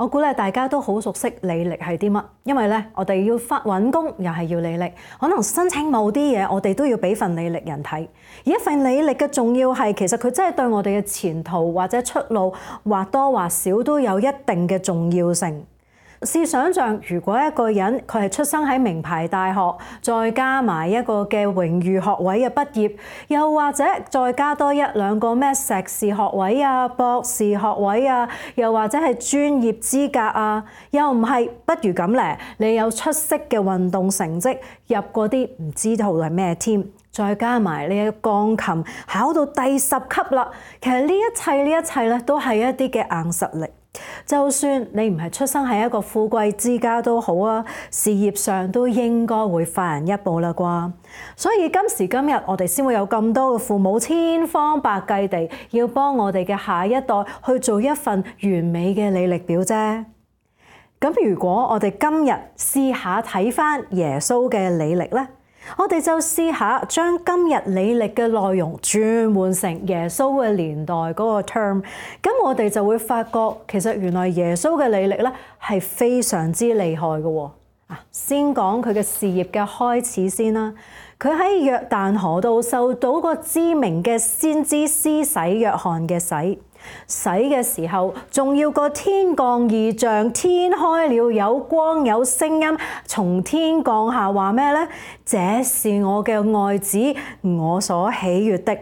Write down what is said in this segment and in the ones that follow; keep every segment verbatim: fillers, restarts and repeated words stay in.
我估咧大家都好熟悉履歷係啲乜，因為咧我哋要發揾工又係要履歷，可能申請某啲嘢我哋都要俾份履歷人睇。而一份履歷嘅重要係，其實佢真係對我哋嘅前途或者出路或多或少都有一定嘅重要性。試想像，如果一個人佢係出生喺名牌大學，再加埋一個嘅榮譽學位嘅畢業，又或者再加多一兩個咩碩士學位啊、博士學位啊，又或者係專業資格啊，又唔係，不如咁咧，你有出色嘅運動成績，入嗰啲唔知道係咩添，再加埋你嘅鋼琴考到第十級啦，其實呢一切呢一切咧都係一啲嘅硬實力。就算你唔係出生喺一個富貴之家都好啊，事業上都應該會快人一步啦啩。所以今時今日我哋先會有咁多嘅父母千方百計地要幫我哋嘅下一代去做一份完美嘅履歷表啫。咁如果我哋今日試下睇返耶穌嘅履歷呢，我哋就試下將今日履歷嘅內容轉換成耶穌嘅年代嗰個 term， 咁我哋就會發覺其實原來耶穌嘅履歷咧係非常之厲害嘅喎。啊，先講佢嘅事業嘅開始先啦。佢喺約旦河度受到個知名嘅先知施洗約翰嘅洗。洗嘅時候，仲要個天降異象，天開了，有光有聲音從天降下，話咩呢？這是我嘅愛子，我所喜悅的。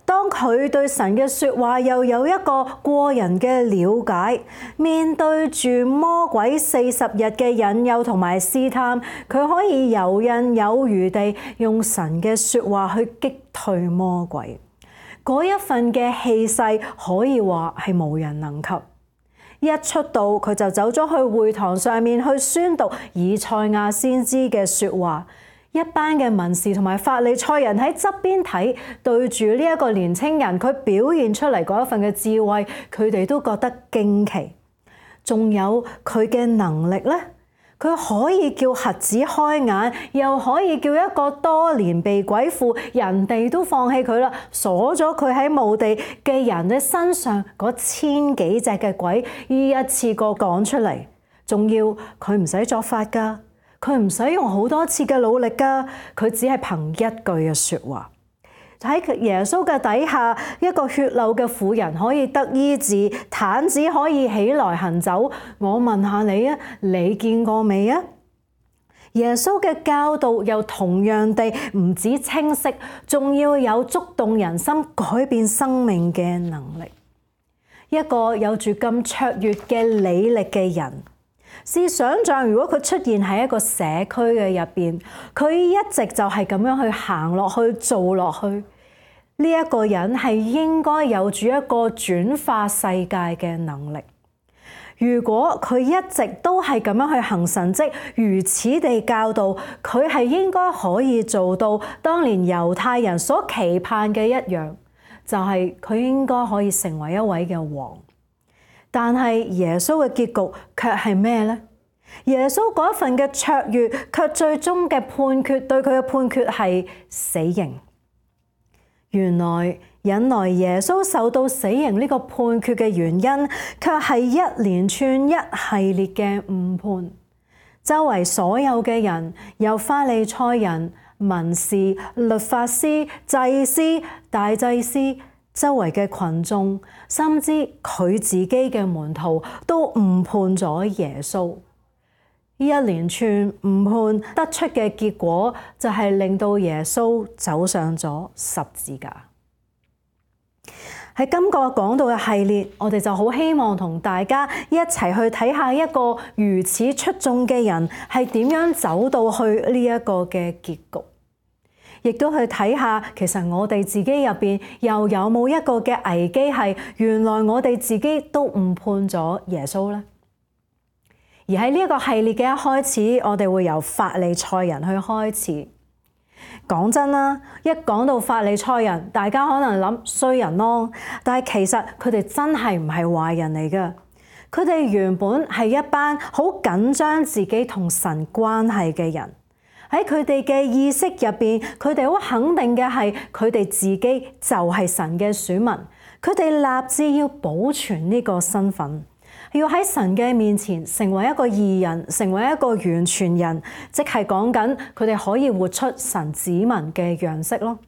當佢對神嘅說話又有一個過人嘅了解，面對住魔鬼四十日嘅引誘同埋試探，佢可以游刃有餘地用神嘅說話去擊退魔鬼。嗰一份嘅氣勢可以話係無人能及。一出道佢就走咗去會堂上面去宣讀以賽亞先知嘅說話，一班嘅文士同埋法利賽人喺側邊睇，對住呢一個年青人佢表現出嚟嗰一份嘅智慧，佢哋都覺得驚奇。仲有佢嘅能力呢？佢可以叫瞎子開眼，又可以叫一個多年被鬼附，人哋都放棄佢啦，鎖咗佢喺墓地嘅人嘅身上嗰千幾隻嘅鬼，依一次過趕出嚟。仲要佢唔使作法㗎，佢唔使用好多次嘅努力㗎，佢只係憑一句嘅説話。喺耶穌嘅底下，一個血漏嘅婦人可以得醫治，癱子可以起來行走。我問下你啊，你見過未啊？耶穌嘅教導又同樣地唔止清晰，仲要有觸動人心、改變生命嘅能力。一個有住咁卓越嘅履歷嘅人，試想像如果佢出現喺一個社區嘅入邊，佢一直就係咁樣去行落去做落去，呢一個人係應該有住一個轉化世界嘅能力。如果佢一直都係咁樣去行神蹟，如此地教導，佢係應該可以做到當年猶太人所期盼嘅一樣，就係佢應該可以成為一位嘅王。但係耶穌嘅結局卻係咩呢？耶穌嗰一份嘅卓越，卻最終嘅判決對佢嘅判決係死刑。原來引來耶穌受到死刑呢個判決嘅原因，卻係一連串一系列嘅誤判。周圍所有嘅人，由法利賽人、文士、律法師、祭司、大祭司，周圍嘅群眾，甚至佢自己嘅門徒，都誤判咗耶穌。呢一連串誤判得出嘅結果，就係令到耶穌走上咗十字架。喺今個講道嘅系列，我哋就好希望同大家一齊去睇下一個如此出眾嘅人係點樣走到去呢一個嘅結局，亦都去睇下其實我哋自己入邊又有冇一個嘅危機係原來我哋自己都誤判咗耶穌呢？而喺呢一個系列嘅一開始，我哋會由法利賽人去開始。講真啦，一講到法利賽人，大家可能諗衰人咯，但係其實佢哋真係唔係壞人嚟㗎。佢哋原本係一班好緊張自己同神關係嘅人，喺佢哋嘅意識入邊，佢哋好肯定嘅係佢哋自己就係神嘅選民，佢哋立志要保存呢個身份。要喺神嘅面前成為一個義人，成為一個完全人，即係講緊佢哋可以活出神子民嘅樣式咯。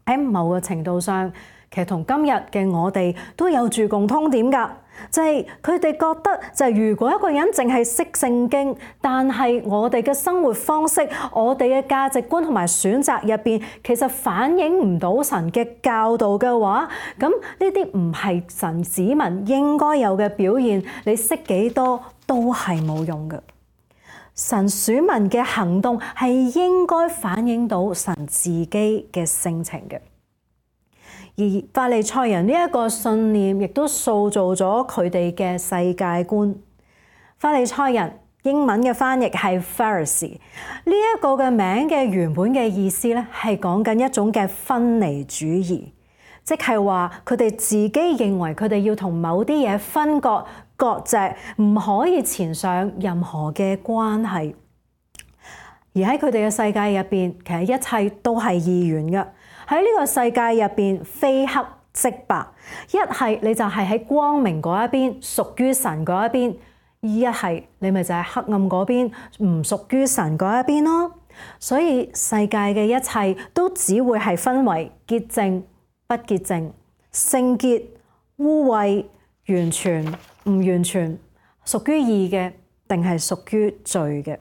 喺某個程度上，其實同今日嘅我哋都有住共通點㗎，就係佢哋覺得就係如果一個人淨係識聖經，但係我哋嘅生活方式、我哋嘅價值觀同埋選擇入邊，其實反映唔到神嘅教導嘅話，咁呢啲唔係神子民應該有嘅表現，你識幾多都係冇用嘅。神選民嘅行動係應該反映到神自己嘅性情嘅。而法利賽人呢一個信念，亦都塑造咗佢哋嘅世界觀。法利賽人英文嘅翻譯係 Pharisee， 呢一個嘅名嘅原本嘅意思咧，係講緊一種嘅分離主義，即係話佢哋自己認為佢哋要同某啲嘢分割割席，唔可以纏上任何嘅關係。而喺佢哋嘅世界入邊，其實一切都係二元嘅。喺呢個世界入邊，非黑即白，一係你就係喺光明嗰一邊，屬於神嗰一邊；一係你咪就係黑暗嗰邊，唔屬於神嗰一邊咯。所以世界嘅一切都只會係分為潔淨、不潔淨、聖潔、污穢、完全、唔完全，屬於義嘅定係屬於罪嘅。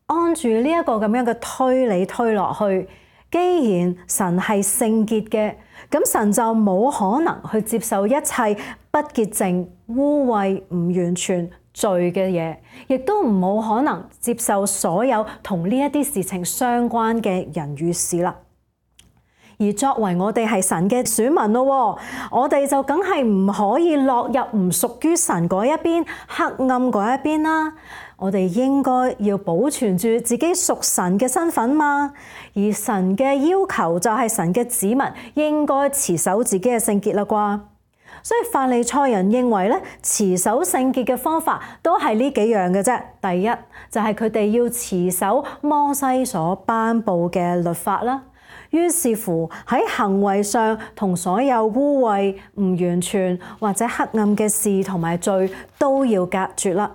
按住呢一個咁樣嘅推理推落去，既然神係聖潔嘅，咁神就冇可能去接受一切不潔淨、污穢、唔完全、罪嘅嘢，亦都唔冇可能接受所有同呢一啲事情相關嘅人與事啦。而作為我哋係神嘅選民咯，我哋就梗係唔可以落入唔屬於神嗰一邊、黑暗嗰一邊啦。我哋應該要保存住自己屬神嘅身份嘛。而神嘅要求就係神嘅子民應該持守自己嘅聖潔啦啩。所以法利賽人認為咧，持守聖潔嘅方法都係呢幾樣嘅啫。第一就係佢哋要持守摩西所頒布嘅律法啦。於是乎喺行為上同所有污穢、唔完全或者黑暗嘅事同埋罪都要隔絕啦，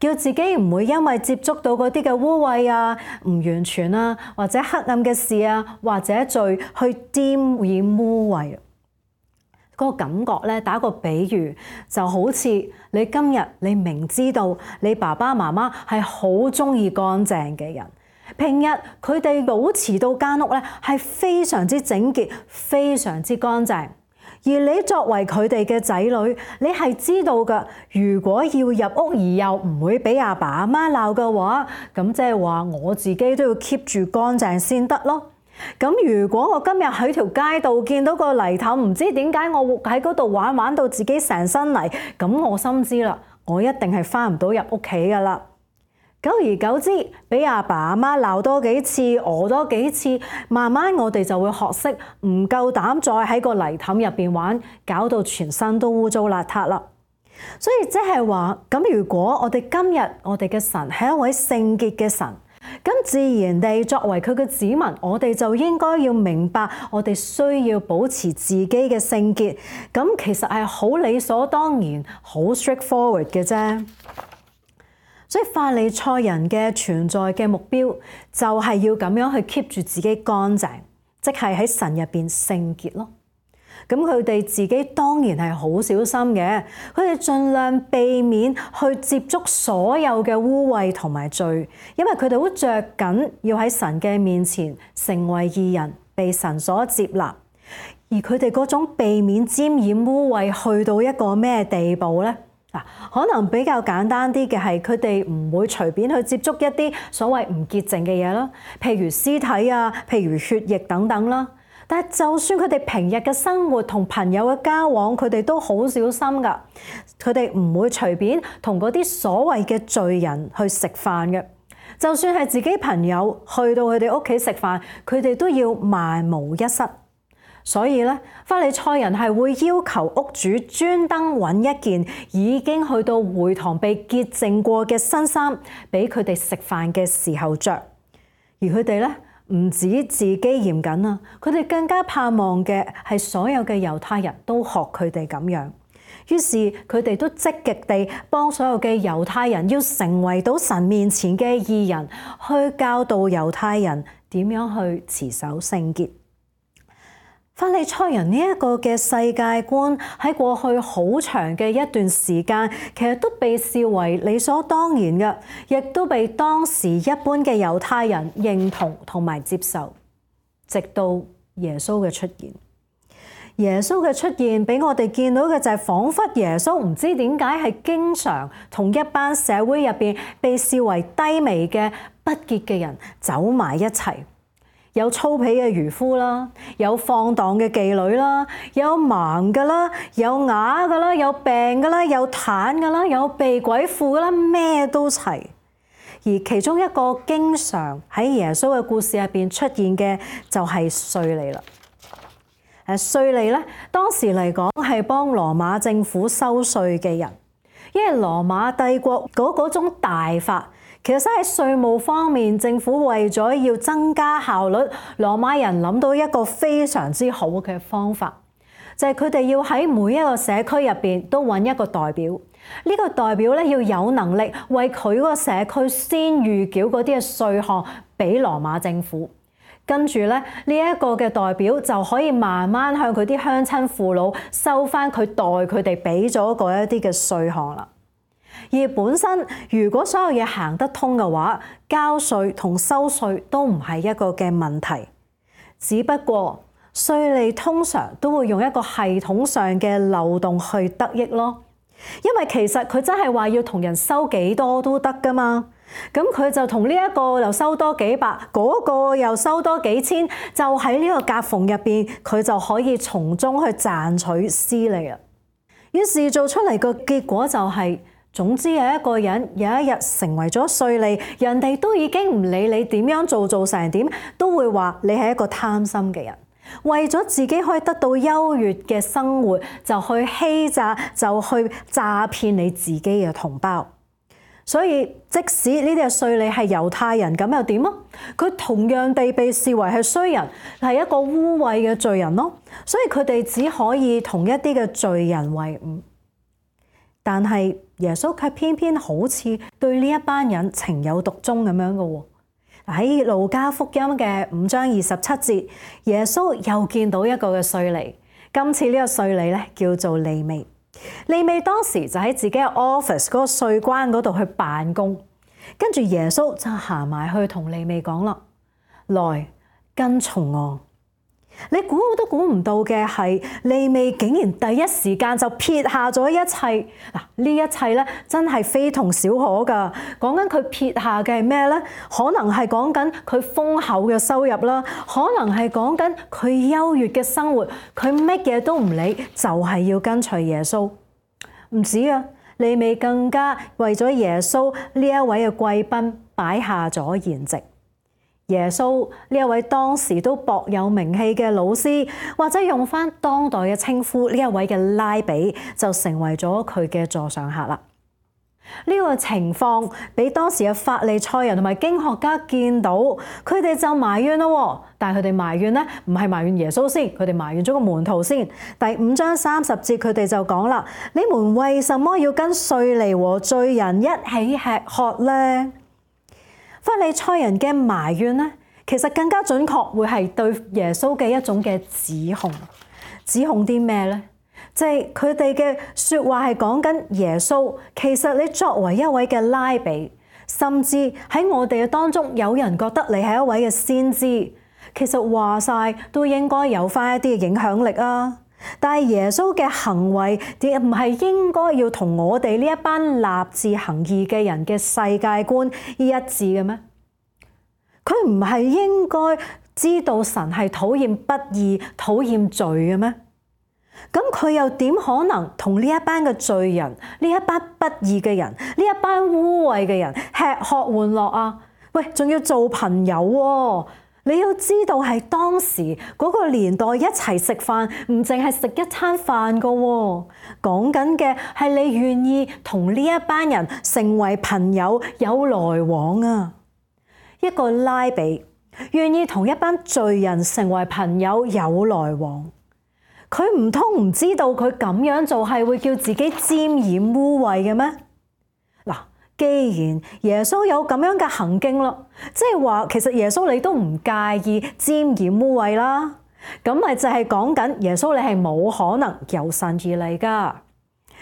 叫自己唔會因為接觸到嗰啲嘅污穢啊、唔完全啊或者黑暗嘅事啊或者罪去沾染污穢。嗰個感覺咧，打個比喻就好似你今日你明知道你爸爸媽媽係好中意乾淨嘅人。平日佢哋保持到間屋咧係非常之整潔、非常之乾淨，而你作為佢哋嘅仔女，你係知道㗎。如果要入屋而又唔會俾阿爸阿媽鬧嘅話，咁即係話我自己都要 keep 住乾淨先得咯。咁如果我今日喺條街度見到個泥凼，唔知點解我喺嗰度玩玩到自己成身泥，咁我心知啦，我一定係返唔到入屋企㗎啦。久而久之，俾阿爸阿媽鬧多幾次，餓多幾次，慢慢我哋就會學識唔夠膽再喺個泥凼入邊玩，搞到全身都污糟邋遢啦。所以即係話，咁如果我哋今日我哋嘅神係一位聖潔嘅神，咁自然地作為佢嘅子民，我哋就應該要明白，我哋需要保持自己嘅聖潔。咁其實係好理所當然、好 straightforward 嘅啫。所以法利賽人嘅存在嘅目標就係要咁樣去 keep 住自己乾淨，即係喺神入邊聖潔咯。咁佢哋自己當然係好小心嘅，佢哋盡量避免去接觸所有嘅污穢同埋罪，因為佢哋好着緊要喺神嘅面前成為義人，被神所接納。而佢哋嗰種避免沾染污穢去到一個咩地步呢？可能比較簡單啲嘅係佢哋唔會隨便去接觸一啲所謂唔潔淨嘅嘢啦，譬如屍體啊，譬如血液等等啦。但係就算佢哋平日嘅生活同朋友嘅交往，佢哋都好小心㗎。佢哋唔會隨便同嗰啲所謂嘅罪人去食飯嘅。就算係自己朋友去到佢哋屋企食飯，佢哋都要萬無一失。所以咧，法利賽人係會要求屋主專登揾一件已經去到會堂被潔淨過嘅新衫，俾佢哋食飯嘅時候着。而佢哋咧唔止自己嚴謹啊，佢哋更加盼望嘅係所有嘅猶太人都學佢哋咁樣。於是佢哋都積極地幫所有嘅猶太人要成為到神面前嘅義人，去教導猶太人點樣去持守聖潔。法利賽人呢一個嘅世界觀喺過去好長嘅一段時間，其實都被視為理所當然嘅，亦都被當時一般嘅猶太人認同同埋接受，直到耶穌嘅出現。耶穌嘅出現俾我哋見到嘅就係彷彿耶穌唔知點解係經常同一班社會入邊被視為低微嘅不潔嘅人走埋一齊。有粗鄙嘅漁夫啦，有放蕩嘅妓女啦，有盲㗎啦，有啞㗎啦，有病㗎啦，有癱㗎啦，有被鬼附㗎啦，咩都齊。而其中一個經常喺耶穌嘅故事入邊出現嘅就係稅吏啦。誒，稅吏咧，當時嚟講係幫羅馬政府收稅嘅人，因為羅馬帝國嗰嗰種大法。其實喺稅務方面，政府為咗要增加效率，羅馬人諗到一個非常之好嘅方法，就係佢哋要喺每一個社區入邊都揾一個代表。呢個代表咧要有能力為佢嗰個社區先預繳嗰啲嘅稅項俾羅馬政府，跟住咧呢一個嘅代表就可以慢慢向佢啲鄉親父老收翻佢代佢哋俾咗嗰一啲嘅稅項啦。而本身如果所有嘢行得通嘅話，交稅同收稅都唔係一個嘅問題。只不過稅吏通常都會用一個系統上嘅漏洞去得益咯，因為其實佢真係話要同人收幾多都得㗎嘛。咁佢就同呢一個又收多幾百，嗰個又收多幾千，就喺呢個夾縫入邊，佢就可以從中去賺取私利啦。於是做出嚟個結果就係，總之有一個人有一日成為咗稅吏，人哋都已經唔理你點樣做做成點，都會話你係一個貪心嘅人，為咗自己可以得到優越嘅生活，就去欺詐，就去詐騙你自己嘅同胞。所以即使呢啲嘅稅吏係猶太人，咁又點啊？佢同樣地被視為係衰人，係一個污穢嘅罪人咯。所以佢哋只可以同一啲嘅罪人為伍。但係耶穌卻偏偏好似對呢一班人情有獨鍾咁樣嘅喎。喺路加福音嘅五章二十七節，耶穌又見到一個嘅稅吏。今次呢個稅吏咧叫做利未。利未當時就喺自己嘅 office 嗰個稅關嗰度去辦公，跟住耶穌就行埋去同利未講啦：來跟從我。你估都估唔到嘅係，利未竟然第一時間就撇下咗一切。嗱，呢一切咧真係非同小可㗎。講緊佢撇下嘅係咩咧？可能係講緊佢豐厚嘅收入啦，可能係講緊佢優越嘅生活，佢乜嘢都唔理，就係要跟隨耶穌。唔止啊，利未更加為咗耶穌呢一位嘅貴賓擺下咗筵席。耶穌呢一位當時都薄有名氣嘅老師，或者用返當代嘅稱呼，呢一位嘅拉比就成為咗佢嘅座上客啦。呢個情況俾當時嘅法利賽人同埋經學家見到，佢哋就埋怨咯。但係佢哋埋怨咧，唔係埋怨耶穌先，佢哋埋怨咗個門徒先。第五章三十節佢哋就講啦：你們為什麼要跟稅吏和罪人一起吃喝呢？法利賽人嘅埋怨咧，其實更加準確會係對耶穌嘅一種嘅指控。指控啲咩咧？即係佢哋嘅説話係講緊耶穌。其實你作為一位嘅拉比，甚至喺我哋嘅當中有人覺得你係一位嘅先知，其實話晒都應該有翻一啲嘅影響力啊。但係耶穌嘅行為點唔係應該要同我哋呢一班立志行義嘅人嘅世界觀一致嘅咩？佢唔係應該知道神係討厭不義、討厭罪嘅咩？咁佢又點可能同呢一班嘅罪人、呢一班不義嘅人、呢一班污穢嘅人吃喝玩樂啊？喂，仲要做朋友喎！你要知道係當時嗰個年代一齊食飯，唔淨係食一餐飯噶喎，講緊嘅係你願意同呢一班人成為朋友，有來往啊！一個拉比願意同一班罪人成為朋友，有來往，佢唔通唔知道佢咁樣做係會叫自己沾染污穢嘅咩？嗱，既然耶穌有咁樣嘅行徑咯，即係話其實耶穌你都唔介意沾染污穢啦，咁咪就係講緊耶穌你係冇可能由神而嚟㗎。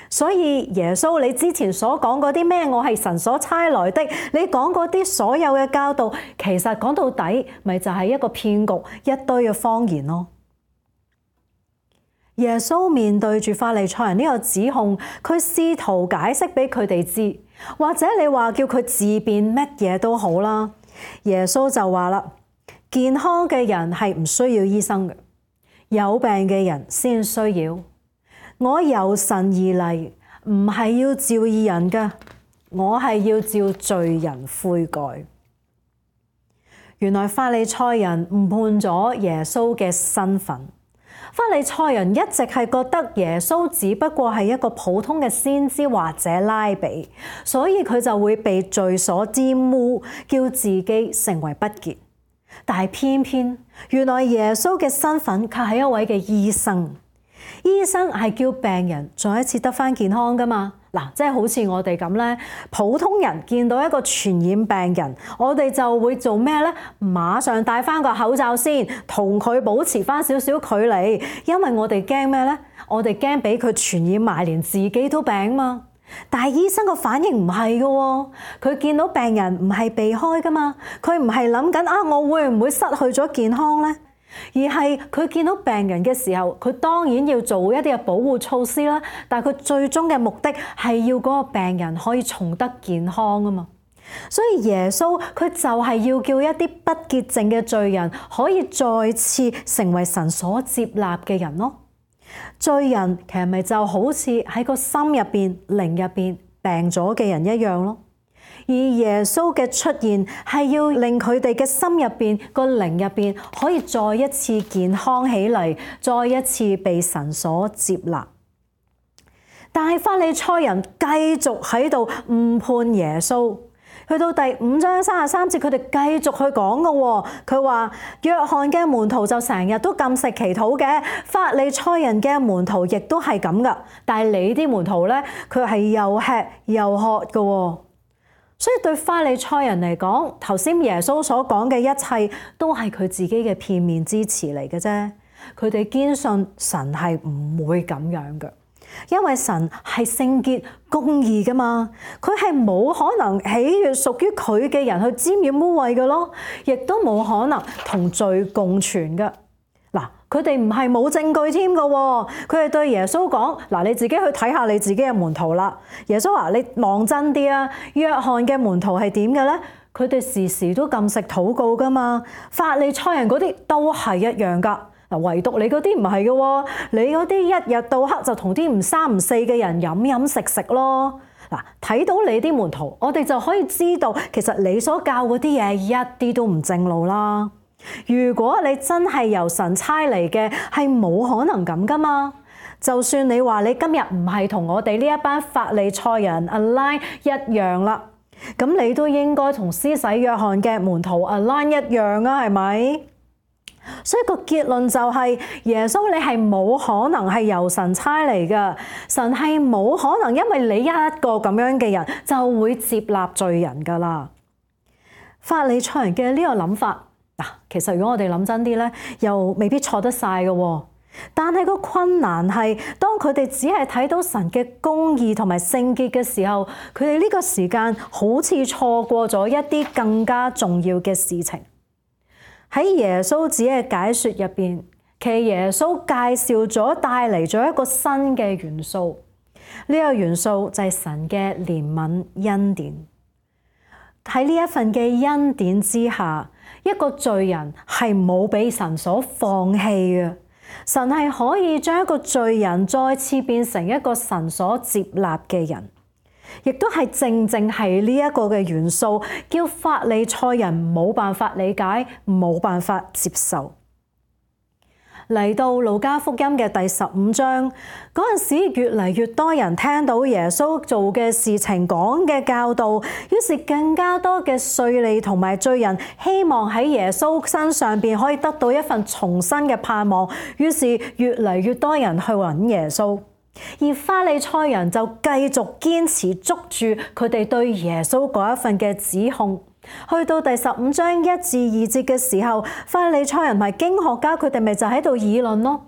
所以耶穌你之前所講嗰啲咩我係神所差來的，你講嗰啲所有嘅教導，其實講到底咪就係一個騙局，一堆嘅謊言咯。耶穌面對住法利賽人呢個指控，佢試圖解釋俾佢哋知，或者你話叫佢自辯乜嘢都好啦。耶穌就話啦，健康嘅人係唔需要醫生嘅，有病嘅人先需要。我由神而嚟，唔係要召義人㗎，我係要召罪人悔改。原來法利賽人誤判咗耶穌嘅身份。法利賽人一直係覺得耶穌只不過係一個普通嘅先知或者拉比，所以佢就會被罪所沾污，叫自己成為不潔。但係偏偏原來耶穌嘅身份卻係一位嘅醫生。醫生係叫病人再一次得返健康㗎嘛？嗱，即係好似我哋咁咧，普通人見到一個傳染病人，我哋就會做咩咧？馬上戴返個口罩先，同佢保持返少少距離，因為我哋驚咩咧？我哋驚俾佢傳染埋，連自己都病嘛。但係醫生個反應唔係㗎喎，佢見到病人唔係避開㗎嘛，佢唔係諗緊啊，我會唔會失去咗健康咧？而係佢見到病人嘅時候，佢當然要做一啲嘅保護措施啦。但係佢最終嘅目的係要嗰個病人可以重得健康啊嘛。所以耶穌佢就係要叫一啲不潔淨嘅罪人可以再次成為神所接納嘅人咯。罪人其實咪就好似喺個心入邊、靈入邊病咗嘅人一樣咯。而耶穌嘅出現係要令佢哋嘅心入邊、個靈入邊可以再一次健康起嚟，再一次被神所接納。但係法利賽人繼續喺度誤判耶穌。去到第五章三十三節，佢哋繼續去講嘅喎。佢話約翰嘅門徒就成日都禁食祈禱嘅，法利賽人嘅門徒亦都係咁噶。但係你啲門徒咧，佢係又吃又喝嘅喎。所以對法利賽人嚟講，頭先耶穌所講嘅一切都係佢自己嘅片面之詞嚟嘅啫。佢哋堅信神係唔會咁樣嘅，因為神係聖潔公義㗎嘛，佢係冇可能喜悅屬於佢嘅人去沾染污穢嘅咯，亦都冇可能同罪共存嘅。嗱，佢哋唔係冇證據添㗎喎，佢哋對耶穌講：嗱，你自己去睇下你自己嘅門徒啦。耶穌話：你望真啲啊！約翰嘅門徒係點嘅咧？佢哋時時都禁食禱告㗎嘛。法利賽人嗰啲都係一樣㗎。嗱，唯獨你嗰啲唔係嘅喎，你嗰啲一日到黑就同啲唔三唔四嘅人飲飲食食咯。嗱，睇到你啲門徒，我哋就可以知道其實你所教嗰啲嘢一啲都唔正路啦。如果你真係由神差嚟嘅，係冇可能咁噶嘛。就算你話你今日唔係同我哋呢一班法利賽人 align 一樣啦，咁你都應該同施洗約翰嘅門徒 align 一樣啊，係咪？所以個結論就係耶穌你係冇可能係由神差嚟噶，神係冇可能因為你一個咁樣嘅人就會接納罪人噶啦。法利賽人嘅呢個諗法。嗱，其實如果我哋諗真啲咧，又未必錯得晒嘅喎。但係個困難係，當佢哋只係睇到神嘅公義同埋聖潔嘅時候，佢哋呢個時間好似錯過咗一啲更加重要嘅事情。喺耶穌自己嘅解說入邊，其實耶穌介紹咗帶嚟咗一個新嘅元素，呢個元素就係神嘅憐憫恩典。喺呢一份嘅恩典之下，一個罪人係冇俾神所放棄嘅，神係可以將一個罪人再次變成一個神所接納嘅人，亦都係正正係呢一個嘅元素，叫法利賽人冇辦法理解，冇辦法接受。嚟到路加福音嘅第十五章嗰陣時，越嚟越多人聽到耶穌做嘅事情、講嘅教導，於是更加多嘅稅吏同埋罪人希望喺耶穌身上邊可以得到一份重新嘅盼望，於是越嚟越多人去揾耶穌，而法利賽人就繼續堅持捉住佢哋對耶穌嗰一份嘅指控。去到第十五章一至二節嘅時候，法利賽人同埋經學家佢哋咪就喺度議論咯。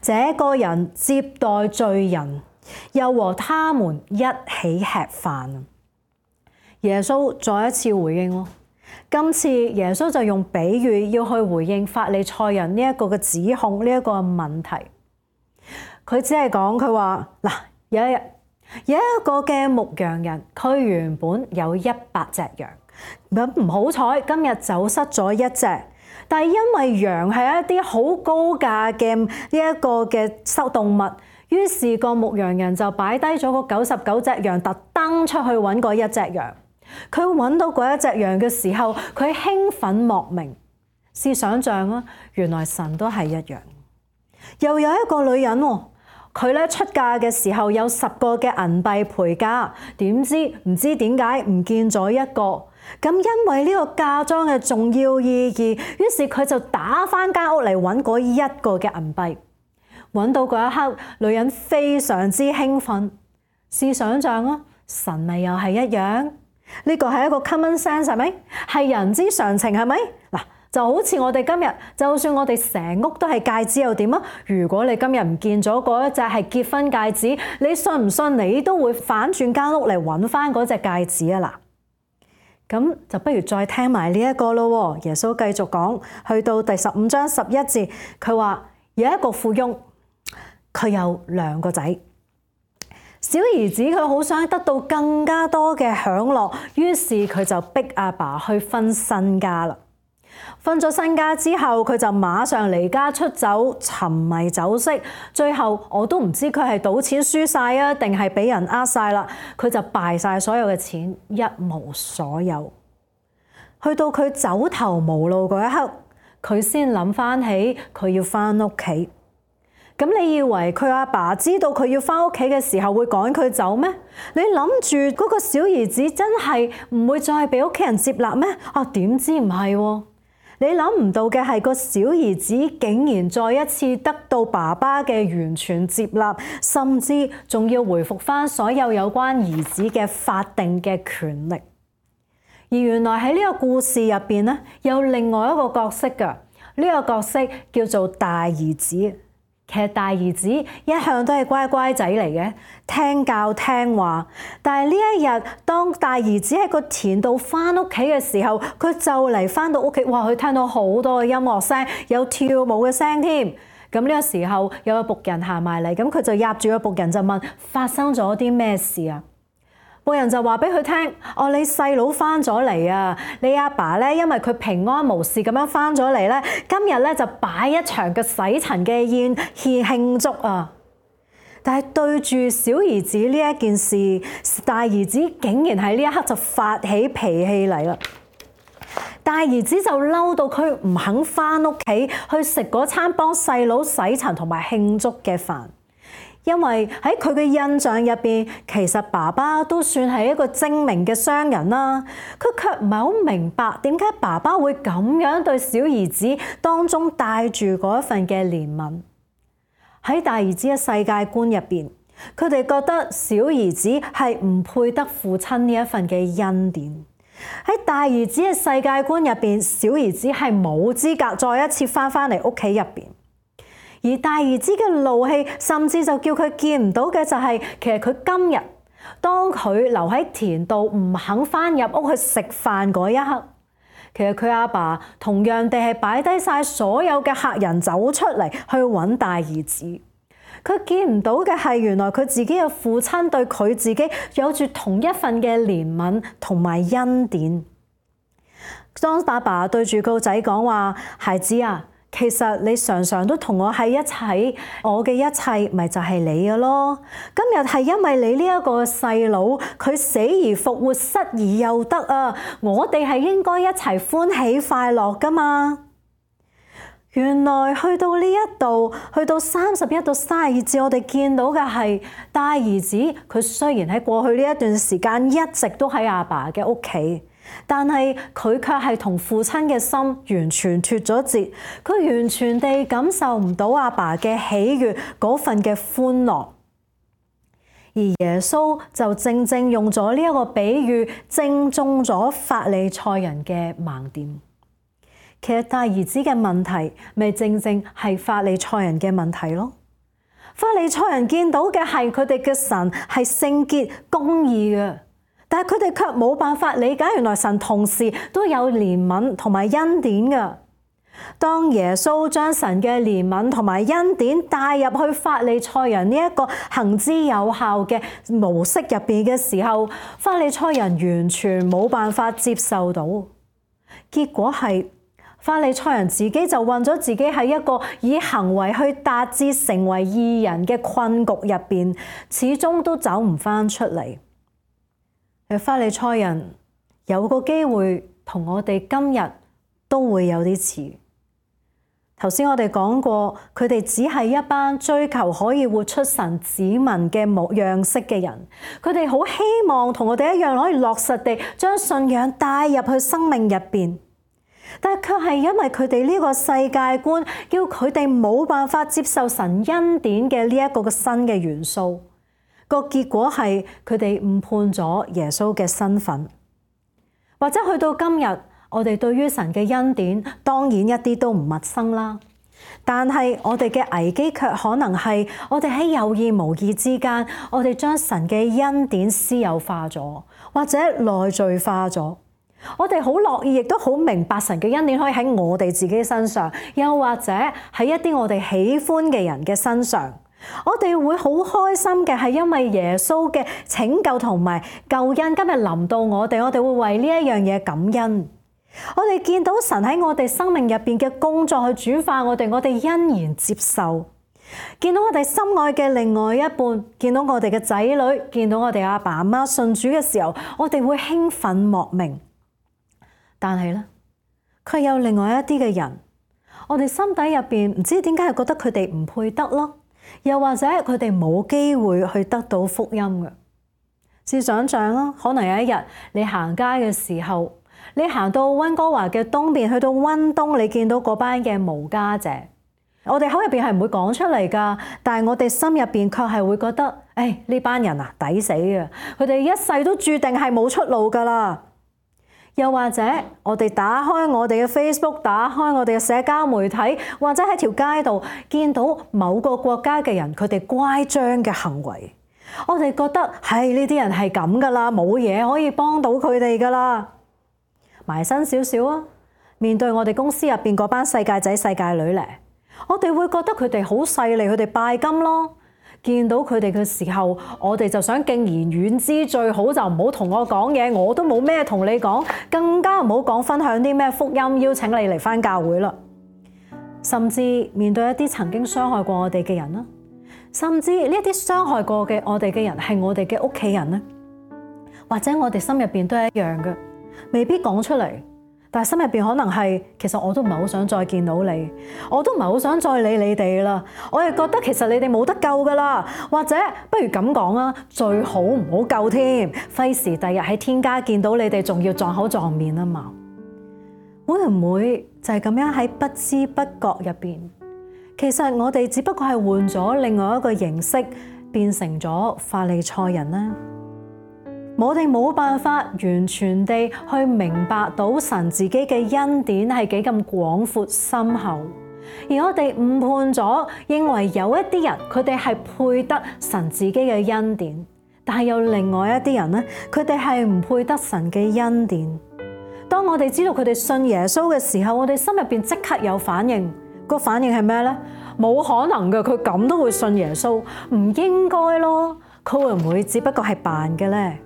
這個人接待罪人，又和他們一起吃飯。耶穌再一次回應咯，今次耶穌就用比喻要去回應法利賽人呢一個嘅指控，呢一個問題。佢只係講佢話嗱，有一日有一個嘅牧羊人，佢原本有一百隻羊。咁唔好彩，今日走失咗一隻，但係因為羊係一啲好高價嘅呢一個嘅收動物，於是個牧羊人就擺低咗嗰九十九隻羊，特登出去揾嗰一隻羊。佢揾到嗰一隻羊嘅時候，佢興奮莫名。試想像啊，原來神都係一樣。又有一個女人喎，佢咧出嫁嘅時候有十個嘅銀幣陪嫁，點知唔知點解唔見咗一個。咁因為呢個嫁妝嘅重要意義，於是佢就打返間屋嚟揾嗰一個嘅銀幣。揾到嗰一刻，女人非常之興奮。試想像啊，神咪又係一樣？呢個係一個 common sense 係咪？係人之常情係咪？嗱，就好似我哋今日，就算我哋成屋都係戒指又點啊？如果你今日唔見咗嗰一隻係結婚戒指，你信唔信你都會反轉間屋嚟揾返嗰隻戒指啊？嗱。咁就不如再聽埋呢一個咯。耶穌繼續講，去到第十五章十一節，佢話有一個富翁，佢有兩個仔。小兒子佢好想得到更加多嘅享樂，於是佢就逼阿爸去分身家啦。分咗身家之後，佢就馬上離家出走，沉迷酒色。最後我都唔知佢係賭錢輸晒啊，定係俾人呃晒啦。佢就敗晒所有嘅錢，一無所有。去到佢走投無路嗰一刻，佢先諗翻起佢要翻屋企。咁你以為佢阿爸知道佢要翻屋企嘅時候會趕佢走咩？你諗住嗰個小兒子真係唔會再俾屋企人接納咩？啊，點知唔係喎？你諗唔到嘅係個小兒子竟然再一次得到爸爸嘅完全接納，甚至仲要回復翻所有有關兒子嘅法定嘅權力。而原來喺呢個故事入邊咧，有另外一個角色㗎，呢個角色叫做大兒子。其實大兒子一向都係乖乖仔嚟嘅，聽教聽話。但係呢一日，當大兒子喺個田度翻屋企嘅時候，佢就嚟翻到屋企，哇！佢聽到好多嘅音樂聲，有跳舞嘅聲添。咁呢個時候有個僕人行埋嚟，咁佢就壓住個僕人就問：發生咗啲咩事啊？僕人就話俾佢聽：哦，你細佬翻咗嚟啊！你阿爸咧，因為佢平安無事咁樣翻咗嚟咧，今日咧就擺一場嘅洗塵嘅宴獻慶祝啊！但係對住小兒子呢一件事，大兒子竟然喺呢一刻就發起脾氣嚟啦！大兒子就嬲到佢唔肯翻屋企去食嗰餐幫細佬洗塵同埋慶祝嘅飯。因為喺佢嘅印象入邊，其實爸爸都算係一個精明嘅商人啦。佢卻唔係好明白點解爸爸會咁樣對小兒子當中帶住嗰一份嘅憐憫。喺大兒子嘅世界觀入邊，佢哋覺得小兒子係唔配得父親呢一份嘅恩典。喺大兒子嘅世界觀入邊，小兒子係冇資格再一次翻返嚟屋企入邊。而大兒子嘅怒氣，甚至就叫佢見唔到嘅就係，其實佢今日當佢留喺田度唔肯翻入屋去食飯嗰一刻，其實佢阿爸同樣地係擺低晒所有嘅客人走出嚟去揾大兒子。佢見唔到嘅係，原來佢自己嘅父親對佢自己有住同一份嘅憐憫同埋恩典。當爸爸對住個仔講話：孩子啊，其實你常常都同我喺一齊，我嘅一切咪就係你嘅咯。今日係因為你呢一個細佬，佢死而復活，失而又得啊！我哋係應該一齊歡喜快樂噶嘛。原來去到呢一度，去到三十一到三十二節，我哋見到嘅係大兒子，佢雖然喺過去呢一段時間一直都喺阿爸嘅屋企，但係佢卻係同父親嘅心完全脫咗節，佢完全地感受唔到阿爸嘅喜悅嗰份嘅歡樂。而耶穌就正正用咗呢一個比喻，正中咗法利賽人嘅盲點。其實大兒子嘅問題，咪正正係法利賽人嘅問題咯。法利賽人見到嘅係佢哋嘅神係聖潔公義嘅，但係佢哋卻冇辦法理解，原來神同時都有憐憫同埋恩典嘅。當耶穌將神嘅憐憫同埋恩典帶入去法利賽人呢一個行之有效嘅模式入邊嘅時候，法利賽人完全冇辦法接受到，結果係法利賽人自己就困咗自己喺一個以行為去達至成為義人嘅困局入邊，始終都走唔返出嚟。法利賽人有個機會同我哋今日都會有啲似。頭先我哋講過，佢哋只係一班追求可以活出神子民嘅模樣式嘅人，佢哋好希望同我哋一樣可以落實地將信仰帶入去生命入邊。但係卻係因為佢哋呢個世界觀，叫佢哋冇辦法接受神恩典嘅呢一個嘅新嘅元素。個結果係佢哋誤判咗耶穌嘅身份，或者去到今日，我哋對於神嘅恩典當然一啲都唔陌生啦。但係我哋嘅危機卻可能係我哋喺有意無意之間，我哋將神嘅恩典私有化咗，或者內罪化咗。我哋好樂意，亦都好明白神嘅恩典可以喺我哋自己身上，又或者喺一啲我哋喜歡嘅人嘅身上。我哋會好開心嘅係因為耶穌嘅拯救同埋救恩今日臨到我哋，我哋會為呢一樣嘢感恩。我哋見到神喺我哋生命入邊嘅工作去轉化我哋，我哋欣然接受。見到我哋心愛嘅另外一半，見到我哋嘅仔女，見到我哋阿爸阿媽信主嘅時候，我哋會興奮莫名。但係咧，佢有另外一啲嘅人，我哋心底入邊唔知點解係覺得佢哋唔配得咯，又或者佢哋冇機會去得到福音嘅。試想象啦，可能有一日你行街嘅時候，你行到溫哥華嘅東邊，去到溫東，你見到嗰班嘅無家者，我哋口入邊係唔會講出嚟噶，但係我哋心入邊卻係會覺得，誒呢班人啊抵死啊，佢哋一世都注定係冇出路噶啦。又或者我哋打開我哋嘅 Facebook， 打開我哋嘅社交媒體，或者喺條街度見到某個國家嘅人，佢哋乖張嘅行為，我哋覺得係呢啲人係咁噶啦，冇嘢可以幫到佢哋噶啦。埋身少少啊，面對我哋公司入邊嗰班世界仔世界女咧，我哋會覺得佢哋好勢利，佢哋拜金咯。見到佢哋嘅時候，我哋就想敬而遠之，最好就唔好同我講嘢，我都冇咩同你講，更加唔好講分享啲咩福音，邀請你嚟返教會啦。甚至面對一啲曾經傷害過我哋嘅人啦，甚至呢一啲傷害過嘅我哋嘅人係我哋嘅屋企人咧，或者我哋心入邊都係一樣嘅，未必講出嚟。但係心入邊可能係，其實我都唔係好想再見到你，我都唔係好想再理你哋啦。我係覺得其實你哋冇得救噶啦，或者不如咁講啊，最好唔好救添，費事第日喺天家見到你哋，仲要撞口撞面啊嘛。會唔會就係咁樣喺不知不覺入邊，其實我哋只不過係換咗另外一個形式，變成咗法利賽人呢？我哋冇辦法完全地去明白到神自己嘅恩典係幾咁廣闊深厚，而我哋誤判咗，認為有一啲人佢哋係配得神自己嘅恩典，但係有另外一啲人咧，佢哋係唔配得神嘅恩典。當我哋知道佢哋信耶穌嘅時候，我哋心入邊即刻有反應，個反應係咩咧？冇可能嘅，佢咁都會信耶穌，唔應該咯。佢會唔會只不過係扮嘅咧？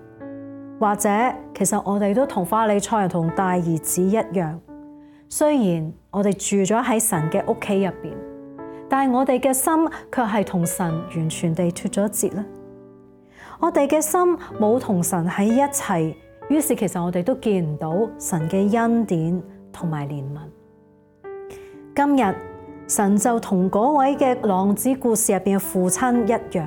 或者其實我哋都同法利賽人同大兒子一樣，雖然我哋住咗喺神嘅屋企入邊，但係我哋嘅心卻係同神完全地脫咗節咧。我哋嘅心冇同神喺一齊，於是其實我哋都見唔到神嘅恩典同埋憐憫。今日神就同嗰位嘅浪子故事入邊嘅父親一樣，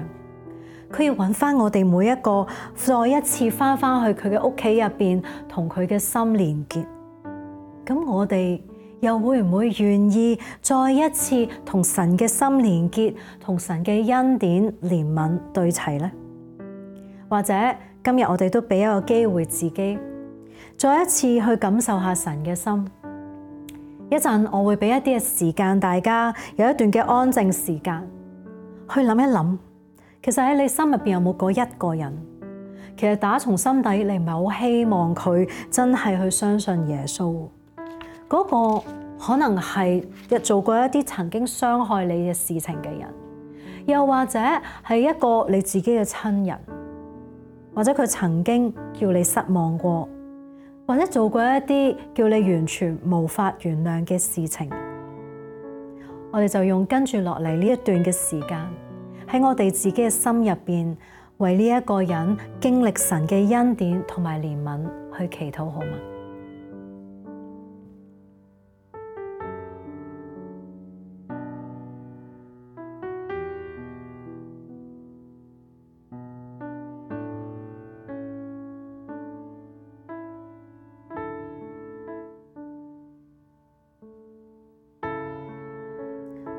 佢要揾翻我哋每一個，再一次翻翻去佢嘅屋企入邊，同佢嘅心連結。咁我哋又會唔會願意再一次同神嘅心連結，同神嘅恩典憐憫對齊呢？或者今日我哋都俾一個機會自己，再一次去感受下神嘅心。一陣我會俾一啲嘅時間，大家有一段嘅安靜時間，去諗一諗，其實喺你心入邊有冇嗰一個人？其實打從心底，你唔係好希望佢真係去相信耶穌。嗰個可能係做過一啲曾經傷害你嘅事情嘅人，又或者係一個你自己嘅親人，或者佢曾經叫你失望過，或者做過一啲叫你完全無法原諒嘅事情。我哋就用跟住落嚟呢一段嘅時間，喺我哋自己嘅心入邊，為呢一個人經歷神嘅恩典同埋憐憫去祈禱，好嗎？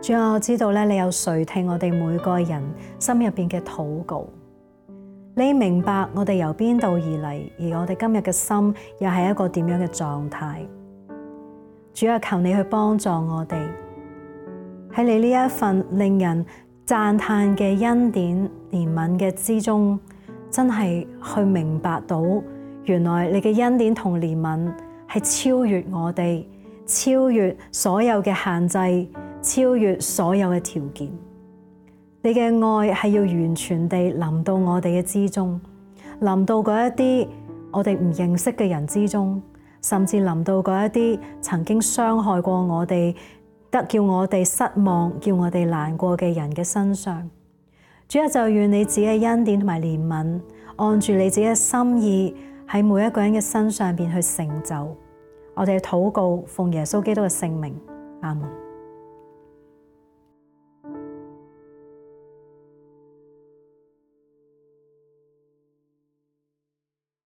主啊，我知道咧，你有垂聽我哋每個人心入邊嘅禱告，你明白我哋由邊度而嚟，而我哋今日嘅心又係一個點樣嘅狀態。主啊，求你去幫助我哋喺你呢一份令人讚嘆嘅恩典憐憫嘅之中，真係去明白到原來你嘅恩典同憐憫係超越我哋，超越所有嘅限制，超越所有嘅條件。你嘅愛係要完全地臨到我哋嘅之中，臨到嗰一啲我哋唔認識嘅人之中，甚至臨到嗰一啲曾經傷害過我哋，得叫我哋失望，叫我哋難過嘅人嘅身上。主啊，就願你自己嘅恩典同埋憐憫，按住你自己嘅心意喺每一個人嘅身上邊去成就。我哋嘅禱告奉耶穌基督嘅聖名，阿門。